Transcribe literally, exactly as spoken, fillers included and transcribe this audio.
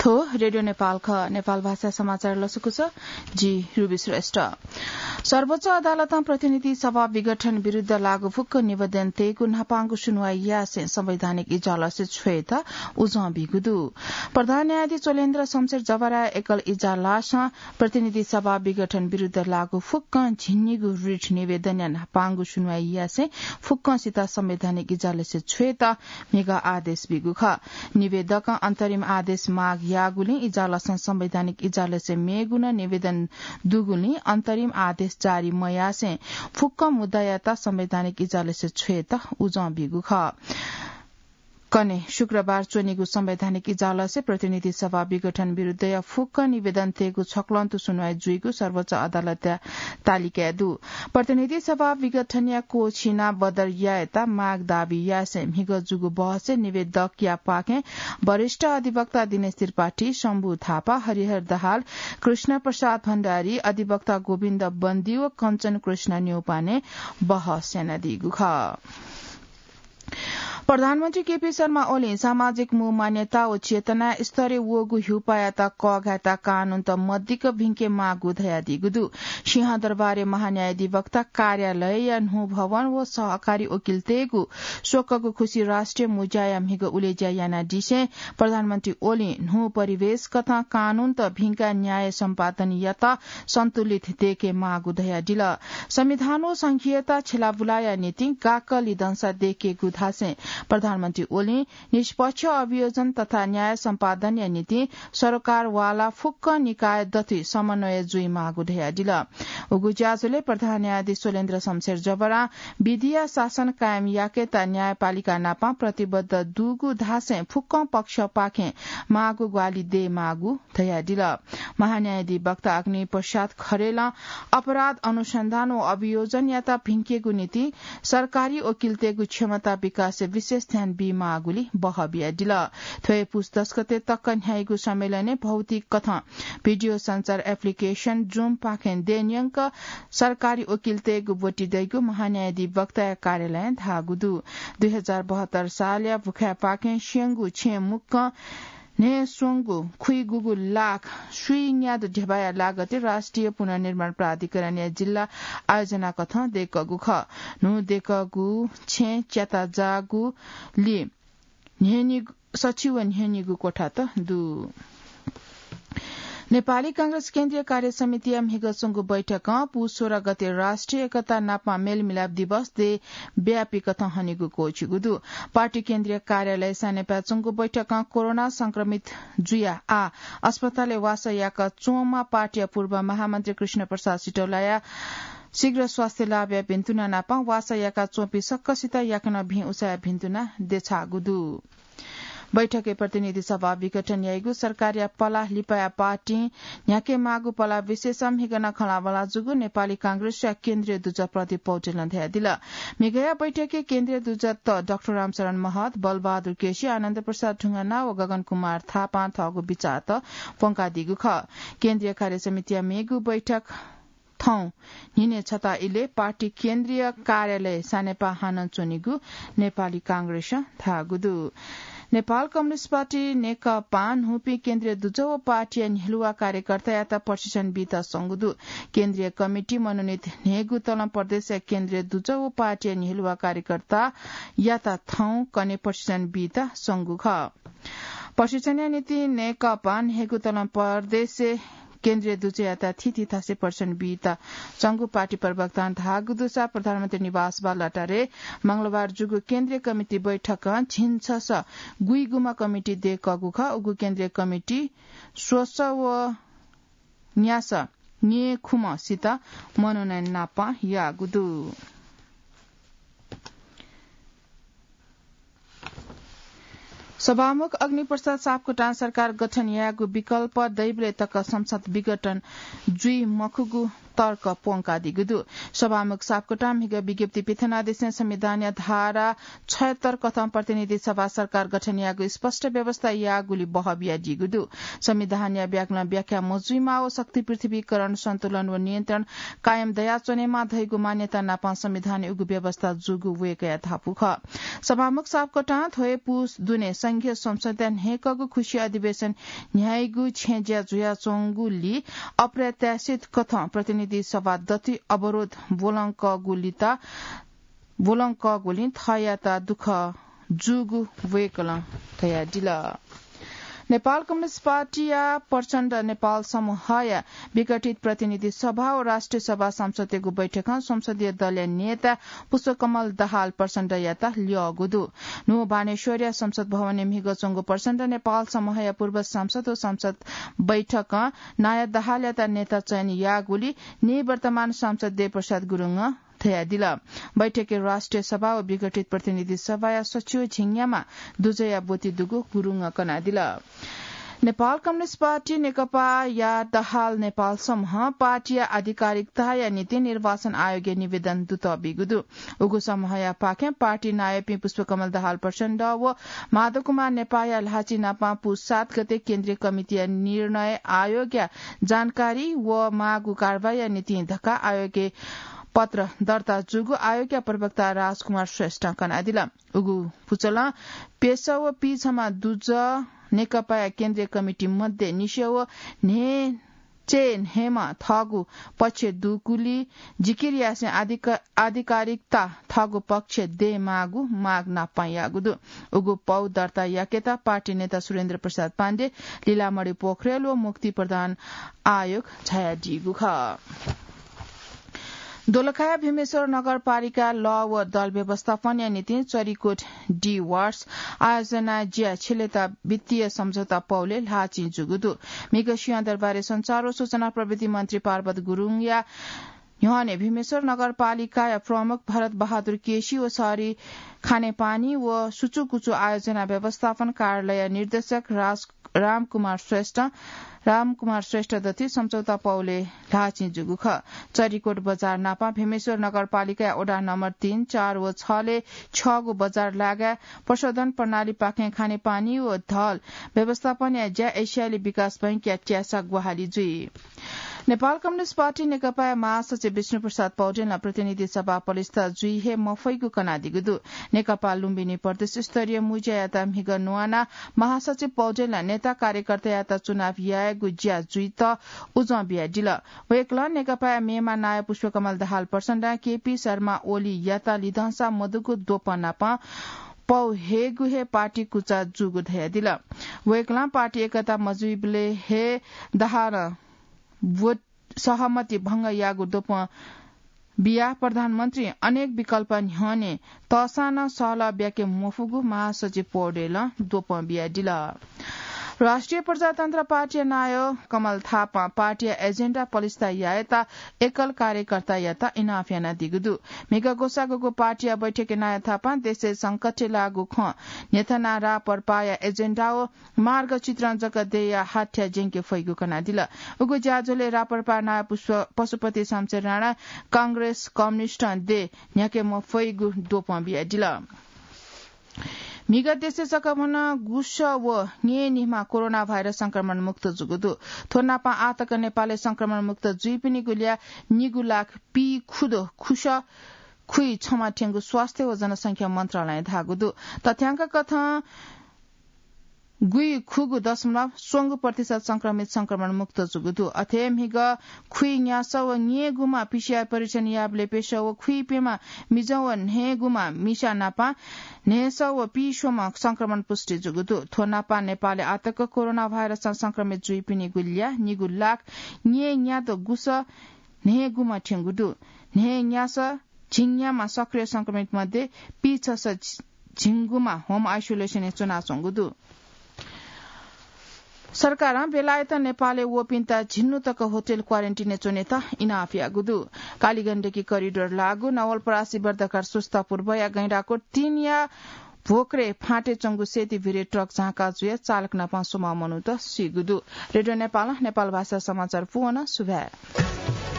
हो, रेडियो नेपाल ख, नेपाल भाषा समाचार लसकुस, जि रुबी श्रेष्ठ। सर्वोच्च अदालतं प्रतिनिधि सभा विघटन विरुद्ध लागू फुक्क निवेदन तयेगु न्हापांगु सुनुवाई यासें संवैधानिक इजलासय् छ्वयेत उजं बीगु दु। प्रधान न्यायाधीश चोलेन्द्र शमशेर जवराया एकल इजलासं प्रतिनिधि सभा विघटन विरुद्ध लागू फुक्कं झिंनिगू रिट निवेदनया न्हापांगु सुनुवाई यासें फुक्कंसित संवैधानिक इजलासय् छ्वयेत म्हिगः आदेश बीगु खः। निवेदकं अन्तरिम आदेश माग याःगुलिं इजलासं संवैधानिक इजलासय् मेगु नं निवेदन दुगुलिं अन्तरिम आदेश जारी मयासें फुक्क मुद्दायात संवैधानिक इजलासय् छ्वयेत उजं बीगु खः। कन्हय् शुक्रबार च्वनीगु संवैधानिक इजलासय् प्रतिनिधि सभा विघटन विरुद्धया फुक्क निवेदन तयेगु छक्वंतु सुनुवाई जुइगु सर्वोच्च अदालतया तालिकाय् दु। प्रतिनिधि सभा विघटनया क्वःछिना बदर यायेत माग दाबी यासें म्हिगः जूगु बहसय् निवेदकया पाखें वरिष्ठ अधिवक्ता दिनेश त्रिपाठी, शम्भु थापा, हरिहर दाहाल, कृष्ण प्रसाद भण्डारी, अधिवक्ता गोविन्द बन्दी व कञ्चन कृष्ण न्यौपाने बहस यानादीगु खः। प्रधानमन्त्री केपी शर्मा ओलीं सामाजिक मू मान्यता व चेतना स्तरय् वःगु हिउपायात कःघायेत कानूनत मदिक्क भिंके माःगु धयादीगु दु। सिंहदरबारय् महान्यायाधिवक्ता कार्यालयया न्हू भवन व सहकारी वकिलतय्गु स्वकगु खुसी राष्ट्रिय मुज्याया म्हिगः उलेज्या यानादिसें प्रधानमन्त्री ओलीं न्हू परिवेश कथं कानूनत भिंकाः न्याय सम्पादनयात सन्तुलित दयेके माःगु धयादिल। संविधान व संघीयता छ्यलाबुलाया निंतिं गाक्क लिधंसा दयेकेगु धासें प्रधानमन्त्री ओलीं निष्पक्ष अभियोजन तथा न्याय सम्पादनया निंतिं सरकारवाला फुक्क निकाय दथुइ समन्वय जुइमाःगु धयादिल। उगु ज्याझ्वलय् प्रधान न्यायाधीश चोलेन्द्र शमशेर जबरां विधिया शासन कायम याकेत न्यायपालिका नाप प्रतिबद्ध दुगु धासें फुक्क पक्षपाखें माःगु ग्वाहालि दयेमाःगु धयादिल। महान्यायाधिवक्ता अग्नि प्रसाद खरेलं अपराध अनुसन्धान व अभियोजनयात भिंकेगु निंतिं सरकारी वकिलतय्गु क्षमता विकासय् विशेष ध्यान बीमाःगुली बहः बियादिल। थ्व हे पुस दस गते तक न्ह्याइगु सम्मेलनय् भौतिक कथं भिडियो सञ्चार एप्लिकेशन Zoom पाखें देय्‌न्यंक सरकारी वकिलतय्गु ब्वति दइगु महान्यायाधिवक्ताया कार्यालयं धाःगु दु। दुई हजार बहत्तर सालया भुखाय्‌पाखें स्यंगू छेँ मुक्कं न्हय्‌स्वंगू खुइगूगू लाख स्वीन्यादँ ध्यबाया लागतय् राष्ट्रिय पुनर्निर्माण प्राधिकरणया जिल्ला आयोजना कथं दय्‌कःगु खः। न्हू दय्‌कःगु छेँ च्याताजाःगुली न्हय्‌निगू, सछि व न्हय्‌निगू क्वथात दु। नेपाली कांग्रेस केन्द्रीय कार्य समितिया म्हिगः च्वंगु बैठकं पुस सोह्र गते राष्ट्रिय एकता नापं मेलमिलाप दिवस देशव्यापी कथं हनेगु क्वःछिगु दु। पार्टी केन्द्रीय कार्यालय सानेपाय् च्वंगु बैठकं कोरोना संक्रमित जुयाः आः अस्पतालय् वासः याका च्वंम्ह पार्टीया पूर्व महामन्त्री कृष्ण प्रसाद सिटौलाया शीघ्र स्वास्थ्य लाभया भिन्तुना नापं वासः याका च्वंपिं सकसित याकनं भिं उसाया भिन्तुना देछाःगु दु। बैठकय् प्रतिनिधि सभा विघटन याइगु, सरकारया पलाः लिपाया पार्टीं न्ह्याके माःगु पलाः विषयस म्हिगः नं खँल्हाबल्हा जूगु नेपाली कांग्रेसया केन्द्रीय दुजः प्रदीप पौडेलं धयादिल। म्हिगःया बैठकय् केन्द्रीय दुजःत डाक्टर रामशरण महत, बलबहादुर केसी, आनन्द प्रसाद ढुङ्गाना व गगन कुमार थापां थःगु बिचाःत प्वंकादीगु खः। केन्द्रीय कार्य समितिया मेगु बैठक थौं न्हिनय् छता इलय् पार्टी केन्द्रीय कार्यालय सानेपाः हानं च्वनीगु नेपाली कांग्रेसं धाःगु दु। नेपाल कम्युनिस्ट पार्टी नेकपां न्हूपिं केन्द्रीय दुजः व पार्टीया न्ह्यलुवा कार्यकर्तायात प्रशिक्षण बीत संगु दु। केन्द्रीय कमिटी मनोनित न्हय्गू तलं प्रदेशया केन्द्रीय दुजः व पार्टीया न्ह्यलुवा कार्यकर्तायात थौं कन्हय् प्रशिक्षण बीत संगु खः। प्रशिक्षणया निंतिं नेकपां न्हय्गू तलं प्रदेशय् केन्द्रीय दुजःयात थीथी थासय् प्रशिक्षण बीत संगु पार्टी प्रवक्तां धाःगु दुसा प्रधानमन्त्री निवास बालुवाटारय् मंगलबार जूगु केन्द्रीय कमिटी बैठकं झिंछसः गुइगुम्ह कमिटी दय्कःगु खः। उगु केन्द्रीय कमिटी स्वसः व न्यासः न्येखुम्हसित मनोनयन नापं याःगु दु। सभामुख अग्निप्रसाद सापकोटां सरकार गठन यायेगु विकल्प दइबलय् तक संसद विघटन जुइ मखुगु तर्क प्वंकादीगु दु। सभामुख सापकोटां म्हिगः विज्ञप्ति पिथनादिसें संविधानया धारा छयत्तर कथं प्रतिनिधि सभा सरकार गठन यायेगु स्पष्ट व्यवस्था याःगुलि बहः बियादीगु दु। संविधानया व्याकरण व्याख्या मजुइमा व शक्ति पृथ्वीकरण सन्तुलन व नियन्त्रण कायम दयाच्वनेमा धइगु मान्यता नापं संविधानय् उगु व्यवस्था जूगु वय्कःया धापू खः। सभामुख सापकोटां थ्व हे पुस दुने संघीय संसदया न्हय्कःगु खुसी अधिवेशन न्ह्याइगु छेँज्या जुयाच्वंगुलि अप्रत्याशित कथं प्रतिनिधि सभा दथुइ अवरोध ब्वलंकःगुलिं थःयात दुःख जूगु वय्कलं धयादिल। नेपाल कम्युनिस्ट पार्टीया प्रचण्ड नेपाल समूहया विघटित प्रतिनिधि सभा व राष्ट्रिय सभा सांसदयागु बैठकं संसदीय दलया नेता पुष्पकमल दाहाल प्रचण्डयात ल्यःगु दु। न्हू बानेश्वरया संसद भवनय् म्हिगः च्वंगु प्रचण्ड नेपाल समूहया पूर्व सांसद व संसद बैठकं नायः दाहालयात नेता चयन याःगुलि निवर्तमान सांसद देवप्रसाद गुरुङं धयादिल। बैठकय् राष्ट्रिय सभा व विघटित प्रतिनिधि सभाया सचिव झिंग्यामा दुजःया ब्वति दुगु गुरुङं कनादिल। नेपाल कम्युनिस्ट पार्टी नेकपाया दाहाल नेपाल समूहं पार्टीया आधिकारिकताया निंतिं निर्वाचन आयोगय् निवेदन दुतः बीगु दु। उगु समूहयापाखें पार्टी नायःपिं पुष्पकमल दाहाल प्रचण्ड व माधव कुमार नेपाःया ल्हाःचिं नापं पुस सात गते केन्द्रीय कमिटीया निर्णय, आयोगया जानकारी व माःगु कारवाहीया निंतिं धकाः आयोगय् पत्र दर्ता जूगु आयोगया प्रवक्ता राजकुमार श्रेष्ठं कनादिल। उगु पुचलं प्यसः व पीछम्ह दुजः नेकपाया केन्द्रीय कमिटी मध्ये निसें व न्हय् चे न्हय्म्ह थःगु पक्ष दुगुलि जिकिर यासें आधिक-, आधिकारिकता थःगु पक्ष दयेमाःगु माग नापं याःगु दु। उगु पौ दर्ता याकेत पार्टी नेता सुरेन्द्र प्रसाद पाण्डे, लीलामणि पोखरेल व मुक्ति प्रधान आयोग झायादीगु खः। दोलखाया भीमेश्वर नगरपालिका लः व दल व्यवस्थापनया निंतिं चरिकोट डी वार्स आयोजना ज्या छिलेत वित्तीय सम्झौता पौले ल्हाःचिं जूगु दु। म्हिगः सिंहदरबारय् सञ्चार व सूचना प्रविधि मन्त्री पार्वत गुरुङया न्ह्यःने भीमेश्वर नगरपालिकाया प्रमुख भरत बहादुर केसी व शहरी खानेपानी व सुचुकुचु आयोजना व्यवस्थापन कार्यालय निर्देशक राज रामकुमार श्रेष्ठ, रामकुमार श्रेष्ठ दथुइ सम्झौता पौले ल्हाःचिं जूगु खः। चरिकोट बजार नापं भीमेश्वर नगरपालिकाया वडा नम्बर तीन, चार व छले छगू बजार लागाय् प्रशोधन प्रणालीपाखें खानेपानी व दल व्यवस्थापनया ज्या एसियाली विकास बैंकया त्यासा ग्वाहालि जुइ। नेपाल कम्युनिस्ट पार्टी नेकपाया महासचिव विष्णुप्रसाद पौडेलं प्रतिनिधि सभा पलिस्था जुइ हे मफइगु कनादीगु दु। नेकपा लुम्बिनी प्रदेश स्तरीय मुँज्यायात म्हिगः न्वानाः महासचिव पौडेलं नेता कार्यकर्तायात चुनाव यायेगु ज्या जुइत उजं बियादिल। वय्कलं नेकपाया मेम्ह नायः पुष्पकमल दाहाल प्रचण्डं केपी शर्मा ओलीयात लिधंसा मदुगु द्वपं नापं पौ हयेगु हे पार्टी कुचा जूगु धयादिल। वय्कलं पार्टी एकता मजुइबलय् हे दाहालं भोट सहमति भंग याःगु द्वपं बियाः प्रधानमन्त्री अनेक विकल्प न्ह्यःने तःसां नं सहलह ब्याके मफुगु महासचिव पौडेलं द्वपं बियादिल। राष्ट्रिय प्रजातन्त्र पार्टीया नायः कमल थापां पार्टीया एजेन्डा पलिस्था यायेत एकल कार्यकर्तायात इनाप यानादीगु दु। म्हिगः ग्वसाःगु पार्टीया बैठकय् नायः थापां देशय् संकटय् लाःगु खँ न्ह्यथनाः रापरपाया एजेन्डा व मार्गचित्रण जक देयाः हाथ्या ज्यंके फइगु कनादिल। उगु ज्याझ्वलय् रापरपा नायः पुष्प-, पशुपति शमशेर राणा कांग्रेस कम्युनिस्टं दे न्ह्याके मफइगु द्वपं बियादिल। म्हिगः देशय् सकभनं गुसः व न्येनिम्ह कोरोना भाइरस संक्रमण मुक्त जूगु दु। थ्व नापं आःतक नेपालय् संक्रमण मुक्त जुइपिनिगु ल्याः निगू लाख पीखुदु खुसः खुइछम्ह थ्यंगु स्वास्थ्य व जनसंख्या मन्त्रालयं धाःगु दु। तथ्याङ्क कथं गुइखुगू दशमलव स्वंगू प्रतिशत संक्रमित संक्रमण मुक्त जूगु दु। अथे म्हिगः खुइन्यासः व न्येगुम्ह पीसीआर परीक्षण याःबलय् प्यसः व खुइप्यम्ह मिजं व न्हय्गुम्ह मिसा नापं न्हय्सः व पीस्वम्ह संक्रमण पुष्टि जूगु दु। थ्व नापं नेपालय् आःतक कोरोना भाइरसं संक्रमित जुइपिनिगु ल्याः निगू लाख न्येन्यादँ गुसः न्हय्गुम्ह थ्यंगु दु। न्हय्न्यासः झिंन्याम्ह सक्रिय संक्रमित मध्ये पीछसः झि-, झिंगुम्ह होम आइसोलेसनय् च्वनाच्वंगु दु। सरकारं बेलायतं नेपालय् वःपिन्त झिन्हु तक होटल क्वारेन्टिनय् च्वनेत इनाप याःगु दु। कालीगण्डकी करिडोर लाःगु नवलपरासी बर्दाघाट स्वच्छता पूर्वया गैंडाकोट तीनया भोक्रे फाँटय् च्वंगु सेती भिरे ट्रक झांका जुयाः चालक नापं स्वम्ह मनूत सीगु दु। रेडियो नेपालं नेपाल भाषा समाचार पूवं सुभाय्।